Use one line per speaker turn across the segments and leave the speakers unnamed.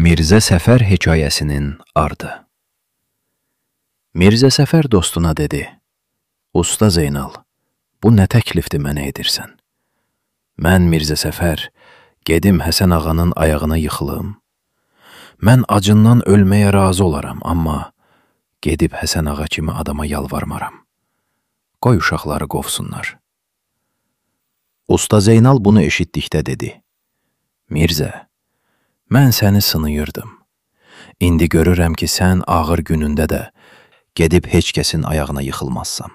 Mirzə Səfər hekayəsinin ardı. Mirzə Səfər dostuna dedi: "Usta Zeynal, bu nə təklifdir mənə edirsən? Mən Mirzə Səfər gedim Həsən ağanın ayağına yıxılım. Mən acından ölməyə razı olaram, amma gedib Həsən ağa kimi adama yalvarmaram. Qoy uşaqları qovsunlar." Usta Zeynal bunu eşitdikdə dedi: "Mirzə, mən səni sınıyırdım. İndi görürəm ki, sən ağır günündə də gedib heç kəsin ayağına yıxılmazsan.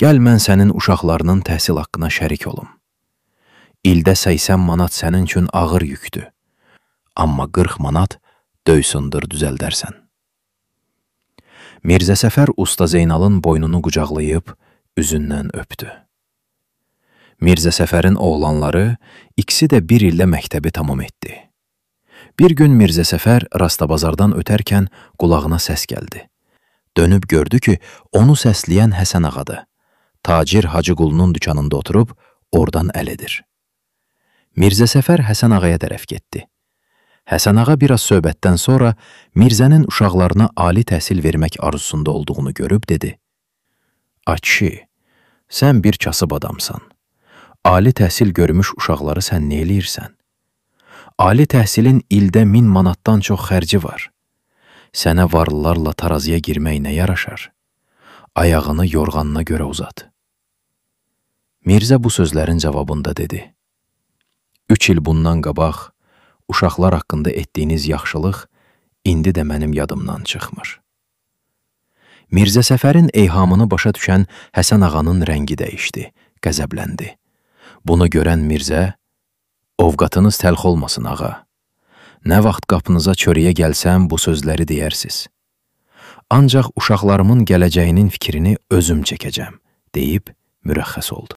Gəl mən sənin uşaqlarının təhsil haqqına şərik olum. İldə 80 manat sənin üçün ağır yükdür. Amma 40 manat döysündür düzəldərsən." Mirzə Səfər Usta Zeynalın boynunu qucaqlayıb, üzündən öpdü. Mirzə Səfərin oğlanları ikisi də bir ildə məktəbi tamam etdi. Bir gün Mirzə Səfər rastabazardan ötərkən qulağına səs gəldi. Dönüb gördü ki, onu səsləyən Həsən ağadır. Tacir Hacıqulunun dükanında oturub, oradan əl edir. Mirzə Səfər Həsən ağaya tərəf getdi. Həsən ağa biraz söhbətdən sonra Mirzənin uşaqlarına ali təhsil vermək arzusunda olduğunu görüb dedi: "Ay kişi, sən bir kasıb adamsan. Ali təhsil görmüş uşaqları sən nə eləyirsən? Ali təhsilin ildə 1000 manatdan çox xərci var. Sənə varlılarla tarazıya girmək nə yaraşar? Ayağını yorğanına görə uzat." Mirzə bu sözlərin cavabında dedi: "3 il bundan qabaq uşaqlar haqqında etdiyiniz yaxşılıq indi də mənim yadımdan çıxmır." Mirzə Səfərin eyhamını başa düşən Həsən ağanın rəngi dəyişdi, qəzəbləndi. Bunu görən Mirzə: "Ovqatınız təlx olmasın ağa. Nə vaxt qapınıza çörəyə gəlsəm bu sözləri deyərsiz. Ancaq uşaqlarımın gələcəyinin fikrini özüm çəkəcəm," deyib mürəxxəs oldu.